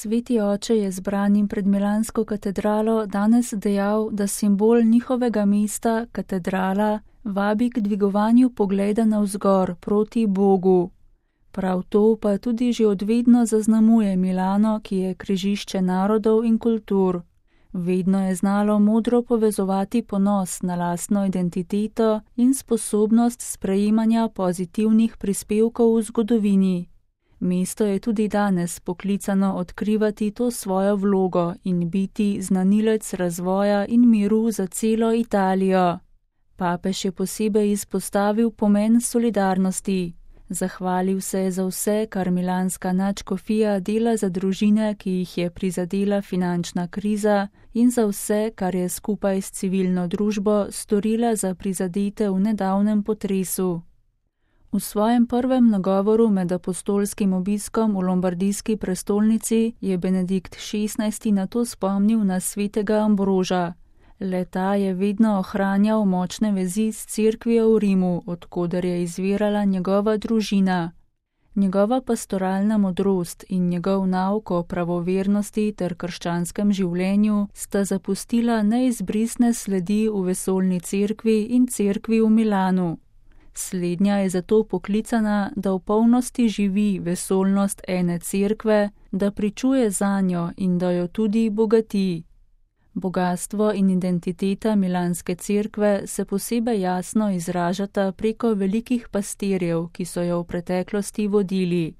Sveti oče je zbranim pred milansko katedralo danes dejal, da simbol njihovega mesta, katedrala, vabi k dvigovanju pogleda navzgor proti Bogu. Prav to pa tudi že odvedno zaznamuje Milano, ki je križišče narodov in kultur. Vedno je znalo modro povezovati ponos na lastno identiteto in sposobnost sprejemanja pozitivnih prispevkov v zgodovini. Mesto je tudi danes poklicano odkrivati to svojo vlogo in biti znanilec razvoja in miru za celo Italijo. Papež je posebej izpostavil pomen solidarnosti. Zahvalil se je za vse, kar milanska nadškofija dela za družine, ki jih je prizadela finančna kriza, in za vse, kar je skupaj s civilno družbo storila za prizadete v nedavnem potresu. V svojem prvem nagovoru med apostolskim obiskom v lombardijski prestolnici je Benedikt XVI na to spomnil na svetega Ambroža. Le-ta je vedno ohranjal močne vezi s cerkvijo v Rimu, od koder je izvirala njegova družina. Njegova pastoralna modrost in njegov nauk o pravovernosti ter krščanskem življenju sta zapustila neizbrisne sledi v vesoljni cerkvi in cerkvi v Milanu. Slednja je zato poklicana, da v polnosti živi vesoljnost ene cerkve, da pričuje zanjo in da jo tudi bogati. Bogastvo in identiteta milanske cerkve se posebej jasno izražata preko velikih pastirjev, ki so jo v preteklosti vodili.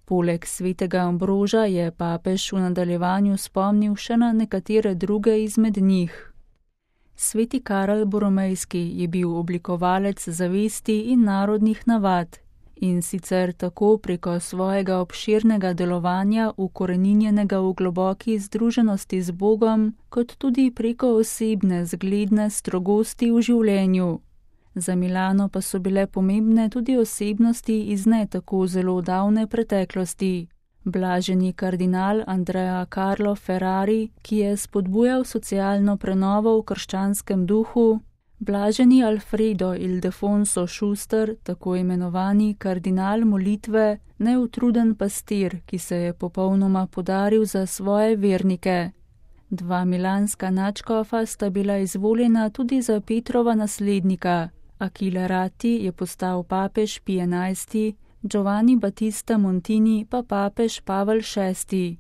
Poleg svetega Ambroža je papež v nadaljevanju spomnil še na nekatere druge izmed njih. Sveti Karel Boromejski je bil oblikovalec zavesti in narodnih navad, in sicer tako preko svojega obširnega delovanja ukoreninjenega v globoki združenosti z Bogom, kot tudi preko osebne zgledne strogosti v življenju. Za Milano pa so bile pomembne tudi osebnosti iz ne tako zelo davne preteklosti. Blaženi kardinal Andrea Carlo Ferrari, ki je spodbujal socialno prenovo v krščanskem duhu, blaženi Alfredo Ildefonso Schuster, tako imenovani kardinal molitve, neutruden pastir, ki se je popolnoma podaril za svoje vernike. Dva milanska nadškofa sta bila izvoljena tudi za Petrova naslednika. Achille Ratti je postal papež Pije XI, Giovanni Battista Montini pa papež Pavel VI.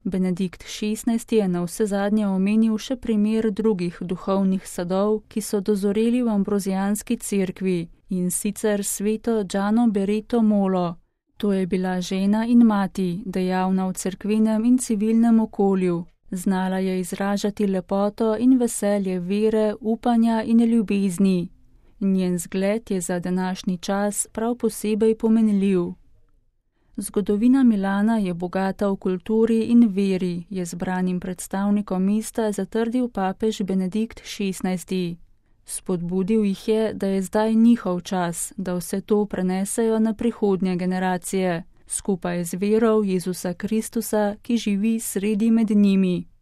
Benedikt XVI je na vse zadnje omenil še primer drugih duhovnih sadov, ki so dozoreli v ambrozijanski cerkvi, in sicer sveto Giano Bereto Molo. To je bila žena in mati, dejavna v cerkvenem in civilnem okolju. Znala je izražati lepoto in veselje vere, upanja in ljubezni. Njen zgled je za današnji čas prav posebej pomenljiv. Zgodovina Milana je bogata v kulturi in veri, je zbranim predstavnikom mesta zatrdil papež Benedikt XVI. Spodbudil jih je, da je zdaj njihov čas, da vse to prenesejo na prihodnje generacije, skupaj z vero v Jezusa Kristusa, ki živi sredi med njimi.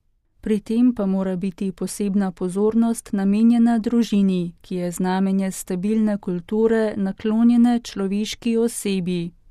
Pri tem pa mora biti posebna pozornost namenjena družini, ki je znamenje stabilne kulture naklonjene človeški osebi.